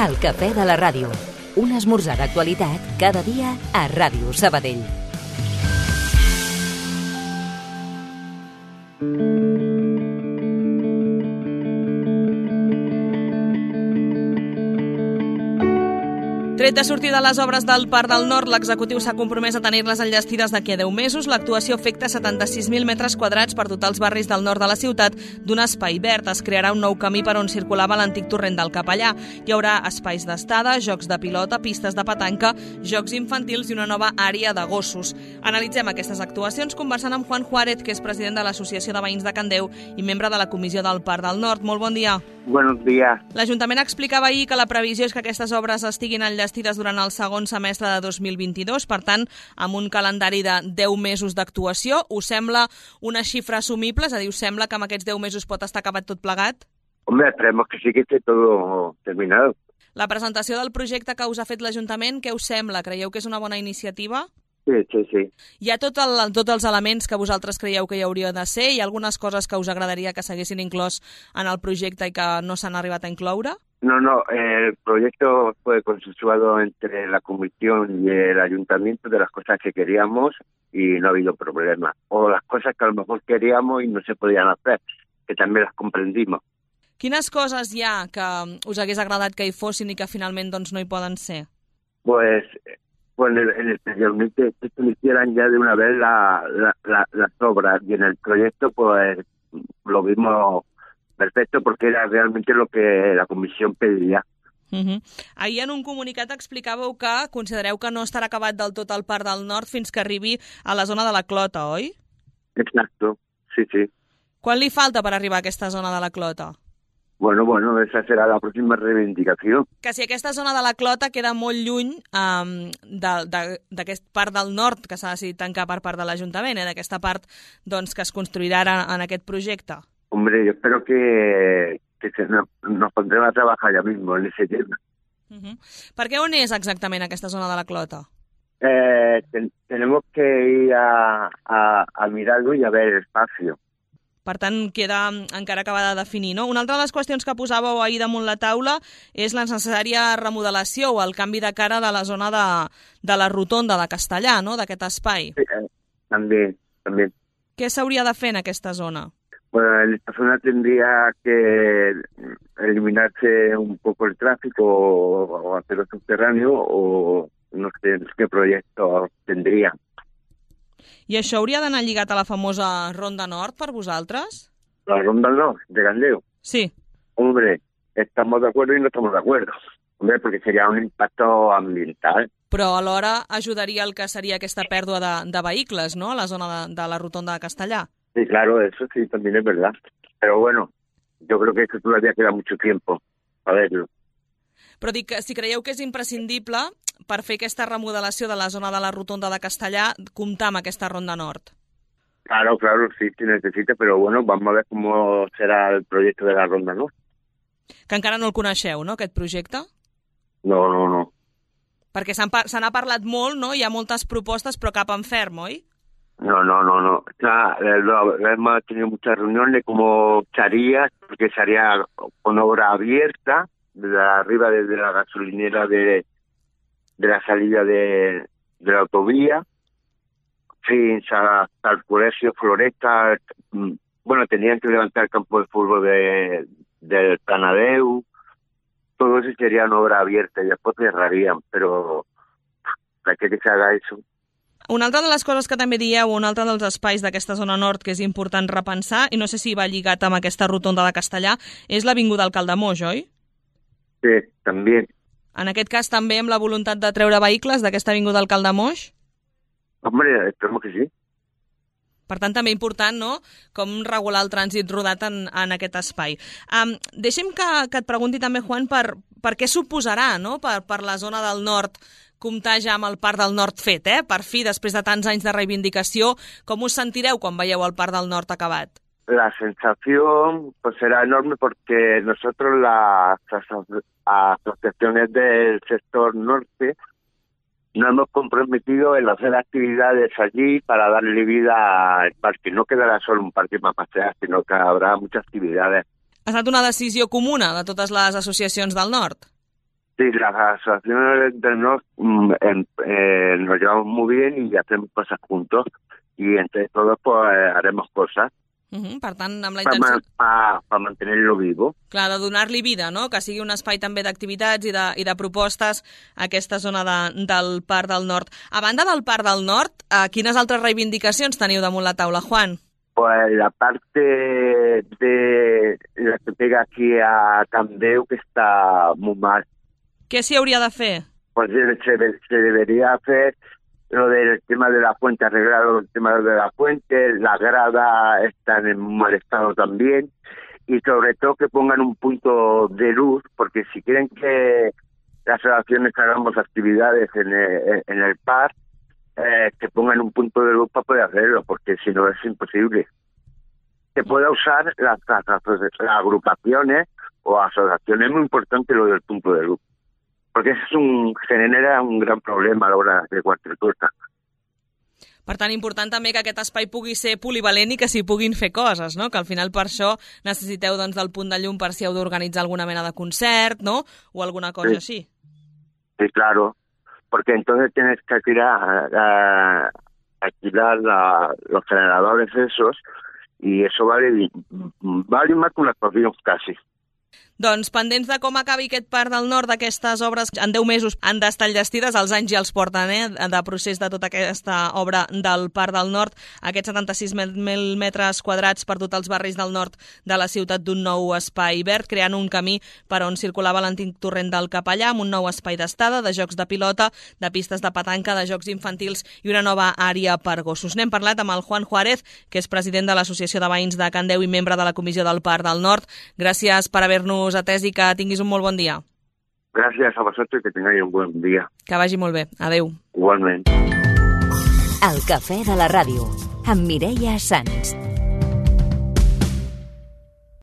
El cafè de la ràdio. Un esmorzar d'actualitat cada dia a Ràdio Sabadell. Tret de sortir de les obres del Parc del Nord, l'executiu s'ha compromès a tenir-les enllestides d'aquí a 10 mesos. L'actuació afecta 76.000 metres quadrats per dotar els barris del nord de la ciutat d'un espai verd. Es crearà un nou camí per on circulava l'antic torrent del Capellà. Hi haurà espais d'estada, jocs de pilota, pistes de petanca, jocs infantils i una nova àrea de gossos. Analitzem aquestes actuacions conversant amb Juan Juárez, que és president de l'Associació de Veïns de Candeu i membre de la Comissió del Parc del Nord. Molt bon dia. Buenos días. L'Ajuntament explicava ahir que la previsió és que aquestes obres estiguin enllestides durant el segon semestre de 2022, per tant, amb un calendari de 10 mesos d'actuació. Us sembla una xifra assumible? És a dir, us sembla que amb aquests 10 mesos pot estar acabat tot plegat? Hombre, esperemos que sí que esté todo terminado. La presentació del projecte que us ha fet l'Ajuntament, què us sembla? Creieu que és una bona iniciativa? Sí. Hi ha tots els elements que vosaltres creieu que hi hauria de ser? Hi ha algunes coses que us agradaria que s'haguessin inclòs en el projecte i que no s'han arribat a incloure? No, el proyecto fue consensuado entre la comisión y el ayuntamiento de las cosas que queríamos y no ha habido problema. O las cosas que a lo mejor queríamos y no se podían hacer, que también las comprendimos. Quines coses hi ha que us hagués agradat que hi fossin i que finalment doncs, no hi poden ser? Pues en el anteriormente se hicieran ya de una vez las obras y en el proyecto pues lo vimos perfecto porque era realmente lo que la comisión pedía. Ahir en un comunicat explicàveu que considereu que no estarà acabat del tot el Parc del Nord fins que arribi a la zona de la Clota, oi? Exacto, sí. Quan li falta per arribar a aquesta zona de la Clota? Bueno, esa será la próxima reivindicación. Que si aquesta zona de la Clota queda molt lluny d'aquest Parc del Nord que s'ha decidit tancar per part de l'Ajuntament, d'aquesta part doncs, que es construirà en aquest projecte. Hombre, yo espero que nos pondremos a trabajar ya mismo en ese tema. Per què on és exactament aquesta zona de la Clota? Tenemos que ir a mirarlo y a ver el espacio. Per tant, queda encara acabada de definir, no? Una altra de les qüestions que posàveu ahir damunt la taula és la necessària remodelació o el canvi de cara de la zona de la rotonda de Castellà, no?, d'aquest espai. Sí, també. Què s'hauria de fer en aquesta zona? Bueno, en esta zona tendría que eliminarse un poco el tráfico o hacerlo subterráneo o no sé qué proyecto tendría. I això hauria d'anar lligat a la famosa Ronda Nord per vosaltres? ¿La Ronda Nord de Candeu? Sí. Hombre, estamos de acuerdo y no estamos de acuerdo. Hombre, porque sería un impacto ambiental. Però alhora ajudaria el que seria aquesta pèrdua de vehicles, no?, a la zona de la rotonda de Castellà. Sí, claro, eso sí, también es verdad. Pero bueno, yo creo que eso todavía queda mucho tiempo a verlo. Però dic que si creieu que és imprescindible per fer aquesta remodelació de la zona de la rotonda de Castellà, comptar amb aquesta Ronda Nord. Claro, sí, se necesita, pero bueno, vamos a ver cómo será el proyecto de la Ronda Nord. Que encara no el coneixeu, no, aquest projecte? No. Perquè se n'ha parlat molt, no? Hi ha moltes propostes, però cap en ferm, oi? No. Hemos tenido muchas reuniones de cómo se haría, porque se haría con obra abierta, desde arriba, desde la gasolinera de la salida de la autovía, fins hasta el colegio Floresta. Bueno, tenían que levantar el campo de fútbol del Canadeu. Todo eso sería una obra abierta y después cerrarían, pero ¿para qué que se haga eso? Una altra de les coses que també dieu, un altre dels espais d'aquesta zona nord que és important repensar, i no sé si va lligat amb aquesta rotonda de Castellà, és l'Avinguda Alcalde Moix, oi? Sí, també. En aquest cas també amb la voluntat de treure vehicles d'aquesta avinguda Alcalde Moix? Hombre, esperemos que sí. Per tant, també important, no?, com regular el trànsit rodat en aquest espai. Deixa'm que et pregunti també, Juan, per què suposarà, no?, per la zona del nord comptar ja amb el Parc del Nord fet, Per fi, després de tants anys de reivindicació, com us sentireu quan veieu el Parc del Nord acabat? La sensación pues será enorme porque nosotros las asociaciones del sector norte nos hemos comprometido en hacer actividades allí para darle vida al parque. No quedará solo un parque para pasear, sino que habrá muchas actividades. Ha estat una decisió comuna de totes les associacions del nord? Sí, las asociaciones del norte nos llevamos muy bien y hacemos cosas juntos y entre todos pues haremos cosas Per tant, amb la intenció... para mantenerlo vivo. Clar, de donar-li vida, no? Que sigui un espai també d'activitats i de propostes a aquesta zona del Parc del Nord. A banda del Parc del Nord, quines altres reivindicacions teniu damunt la taula, Juan? Pues la parte de la que pega aquí a Candeu, que está muy mal. Què s'hi hauria de fer? Pues se debería hacer lo del tema de la fuente, arreglar el tema de la fuente, la grada está en mal estado también, y sobre todo que pongan un punto de luz, porque si quieren que las asociaciones hagamos actividades en el parque, que pongan un punto de luz para poder hacerlo, porque si no es imposible. Se puede usar las agrupaciones o asociaciones, es muy importante lo del punto de luz. Porque genera un gran problema a l'hora de qualsevol cosa. Per tant, important també que aquest espai pugui ser polivalent i que s'hi puguin fer coses, no? Que al final per això necessiteu doncs, del punt de llum per si heu d'organitzar alguna mena de concert, no? O alguna cosa així. Sí, claro. Porque entonces tienes que alquilar los generadores esos y eso vale más que una actuación casi. Doncs pendents de com acabi aquest Parc del Nord, d'aquestes obres en 10 mesos han d'estar enllestides, els anys ja els porten de procés de tota aquesta obra del Parc del Nord, aquests 76.000 metres quadrats per dotar els barris del nord de la ciutat d'un nou espai verd, creant un camí per on circulava l'antic torrent del Capellà, amb un nou espai d'estada, de jocs de pilota, de pistes de petanca, de jocs infantils i una nova àrea per gossos. N'hem parlat amb el Juan Juárez, que és president de l'Associació de Veïns de Candeu i membre de la Comissió del Parc del Nord. Gràcies per haver-nos atès i que tinguis un molt bon dia. Gràcies a vosaltres i que tingueu un bon dia. Que vagi molt bé. Adéu. Igualment. El cafè de la ràdio, amb Mireia Sans.